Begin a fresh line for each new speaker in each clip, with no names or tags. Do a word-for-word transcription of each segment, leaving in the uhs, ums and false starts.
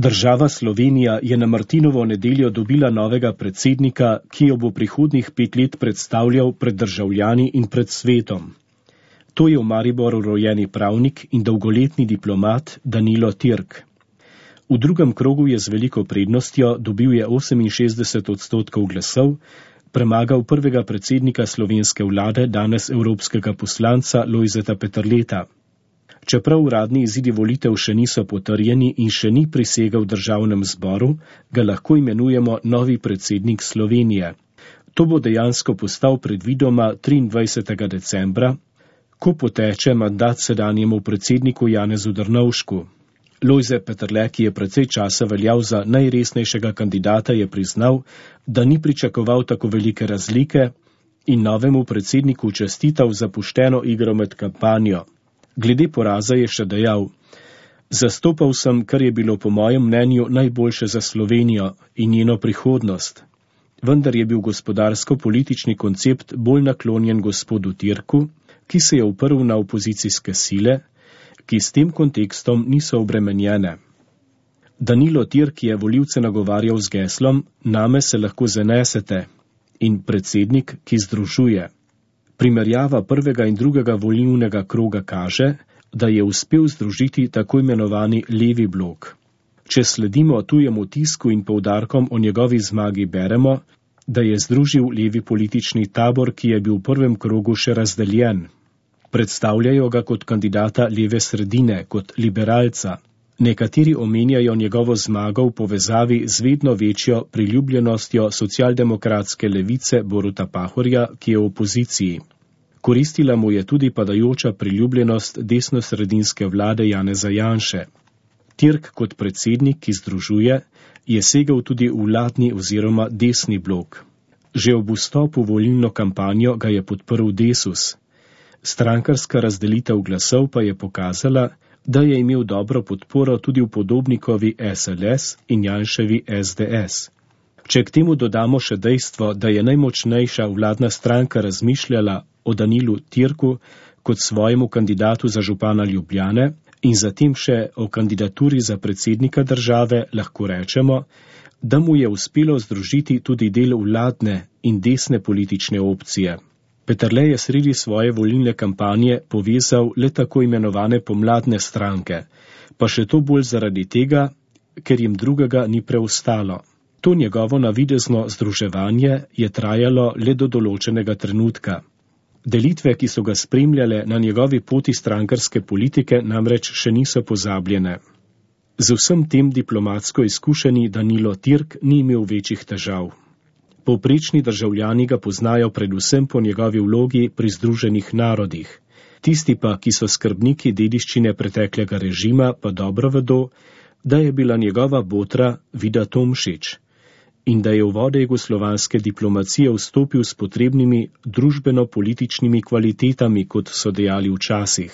Država Slovenija je na Martinovo nedeljo dobila novega predsednika, ki jo bo prihodnjih pet let predstavljal pred državljani in pred svetom. To je v Mariboru rojeni pravnik in dolgoletni diplomat Danilo Türk. V drugem krogu je z veliko prednostjo, dobil je oseminšestdeset odstotkov glasov, premagal prvega predsednika slovenske vlade, danes evropskega poslanca Lojzeta Peterleta. Čeprav uradni izidi volitev še niso potrjeni in še ni prisegel v državnem zboru, ga lahko imenujemo novi predsednik Slovenije. To bo dejansko postal predvidoma triindvajsetega decembra, ko poteče mandat sedanjemu predsedniku Janezu Drnovšku. Lojze Peterle, ki je precej časa veljal za najresnejšega kandidata, je priznal, da ni pričakoval tako velike razlike in novemu predsedniku čestital za pošteno igro med kampanjo. Glede poraza je še dejal: "Zastopal sem, kar je bilo po mojem mnenju najboljše za Slovenijo in njeno prihodnost. Vendar je bil gospodarsko-politični koncept bolj naklonjen gospodu Türku, ki se je uprl na opozicijske sile, ki s tem kontekstom niso obremenjene." Danilo Türk je volivce nagovarjal z geslom: "Name se lahko zanesete" in predsednik, ki združuje. Primerjava prvega in drugega volilnega kroga kaže, da je uspel združiti tako imenovani levi blok. Če sledimo tujemu tisku in poudarkom o njegovi zmagi, beremo, da je združil levi politični tabor, ki je bil v prvem krogu še razdeljen. Predstavljajo ga kot kandidata leve sredine, kot liberalca. Nekateri omenjajo njegovo zmago v povezavi z vedno večjo priljubljenostjo socialdemokratske levice Boruta Pahorja, ki je v opoziciji. Koristila mu je tudi padajoča priljubljenost desnosredinske vlade Janeza Janše. Türk kot predsednik, ki združuje, je segel tudi v vladni oziroma desni blok. Že ob vstopu v volilno kampanjo ga je podprl Desus. Strankarska razdelitev glasov pa je pokazala, da je imel dobro podporo tudi v Podobnikovi S L S in Janševi S D S. Če k temu dodamo še dejstvo, da je najmočnejša vladna stranka razmišljala o Danilu Türku kot svojemu kandidatu za župana Ljubljane in zatem še o kandidaturi za predsednika države, lahko rečemo, da mu je uspelo združiti tudi del vladne in desne politične opcije. Peterle je sredi svoje volilne kampanje povezal le tako imenovane pomladne stranke, pa še to bolj zaradi tega, ker jim drugega ni preostalo. To njegovo navidezno združevanje je trajalo le do določenega trenutka. Delitve, ki so ga spremljale na njegovi poti strankarske politike, namreč še niso pozabljene. Z vsem tem diplomatsko izkušeni Danilo Türk ni imel večjih težav. Povprečni državljani ga poznajo predvsem po njegovi vlogi pri Združenih narodih. Tisti pa, ki so skrbniki dediščine preteklega režima, pa dobro vedo, da je bila njegova botra Vida Tomšič in da je v vode jugoslovanske diplomacije vstopil s potrebnimi družbeno-političnimi kvalitetami, kot so dejali včasih.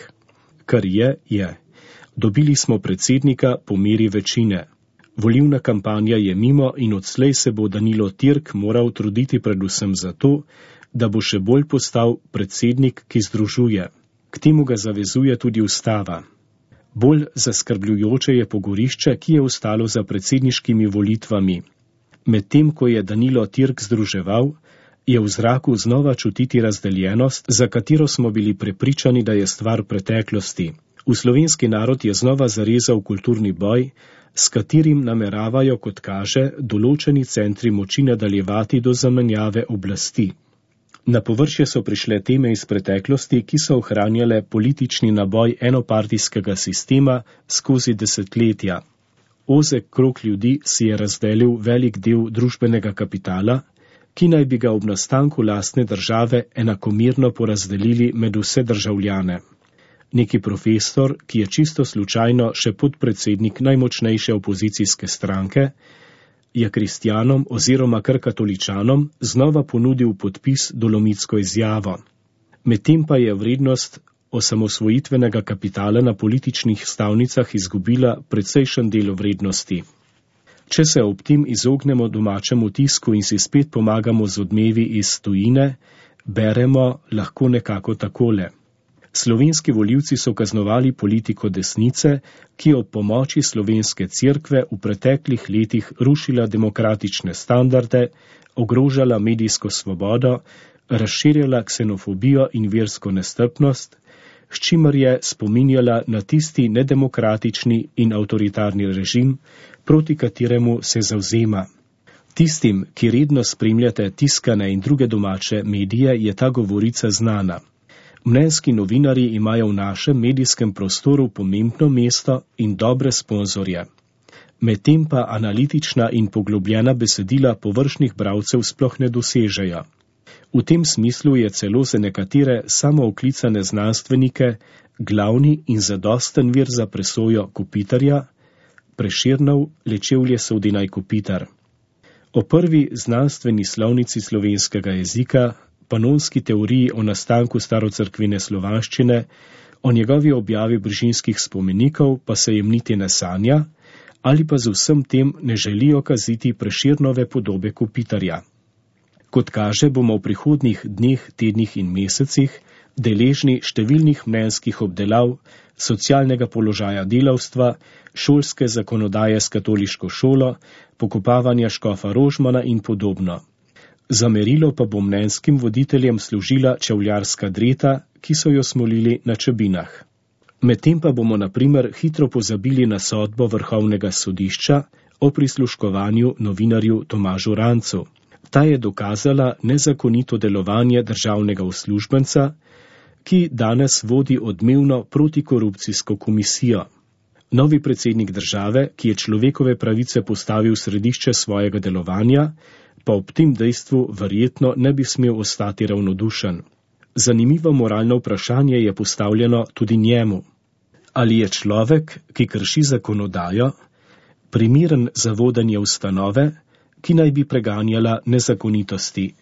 Kar je, je. Dobili smo predsednika po meri večine. Volilna kampanja je mimo in odslej se bo Danilo Türk moral truditi predvsem zato, da bo še bolj postal predsednik, ki združuje. K temu ga zavezuje tudi ustava. Bolj zaskrbljujoče je pogorišče, ki je ostalo za predsedniškimi volitvami. Medtem ko je Danilo Türk združeval, je v zraku znova čutiti razdeljenost, za katero smo bili prepričani, da je stvar preteklosti. V slovenski narod je znova zarezal kulturni boj, s katerim nameravajo, kot kaže, določeni centri moči nadaljevati do zamenjave oblasti. Na površje so prišle teme iz preteklosti, ki so ohranjale politični naboj enopartijskega sistema skozi desetletja. Ozek krog ljudi si je razdelil velik del družbenega kapitala, ki naj bi ga ob nastanku lastne države enakomerno porazdelili med vse državljane. Neki profesor, ki je čisto slučajno še podpredsednik najmočnejše opozicijske stranke, je kristjanom oziroma kar katoličanom znova ponudil podpis dolomitsko izjavo. Medtem pa je vrednost osamosvojitvenega kapitala na političnih stavnicah izgubila precejšen del vrednosti. Če se ob tem izognemo domačemu tisku in si spet pomagamo z odmevi iz tujine, beremo lahko nekako takole. Slovenski volivci so kaznovali politiko desnice, ki je ob pomoči slovenske cerkve v preteklih letih rušila demokratične standarde, ogrožala medijsko svobodo, razširjala ksenofobijo in versko nestrpnost, s čimer je spominjala na tisti nedemokratični in avtoritarni režim, proti kateremu se zavzema. Tistim, ki redno spremljate tiskane in druge domače medije, je ta govorica znana. Mnenjski novinarji imajo v našem medijskem prostoru pomembno mesto in dobre sponzorje. Medtem pa analitična in poglobljena besedila površnih bralcev sploh ne dosežejo. V tem smislu je celo za nekatere samooklicane znanstvenike glavni in zadosten vir za presojo Kopitarja, Prešernov Lečevlje Sodinaj Kopitar. O prvi znanstveni slovnici slovenskega jezika, panonski teoriji o nastanku starocerkvene slovanščine, o njegovi objavi Brižinskih spomenikov pa se jim niti ne sanja, ali pa z vsem tem ne želijo kaziti Prešernove podobe Kopitarja. Kot kaže, bomo v prihodnjih dneh, tednih in mesecih deležni številnih mnenjskih obdelav, socialnega položaja delavstva, šolske zakonodaje s katoliško šolo, pokopavanja škofa Rožmana in podobno. Za merilo pa bo mnenjskim voditeljem služila čevljarska dreta, ki so jo smolili na Čebinah. Medtem pa bomo na primer hitro pozabili na sodbo Vrhovnega sodišča o prisluškovanju novinarju Tomažu Rancu. Ta je dokazala nezakonito delovanje državnega uslužbenca, ki danes vodi odmevno protikorupcijsko komisijo. Novi predsednik države, ki je človekove pravice postavil v središče svojega delovanja, pa ob tem dejstvu verjetno ne bi smel ostati ravnodušen. Zanimivo moralno vprašanje je postavljeno tudi njemu. Ali je človek, ki krši zakonodajo, primeren za vodenje ustanove, ki naj bi preganjala nezakonitosti?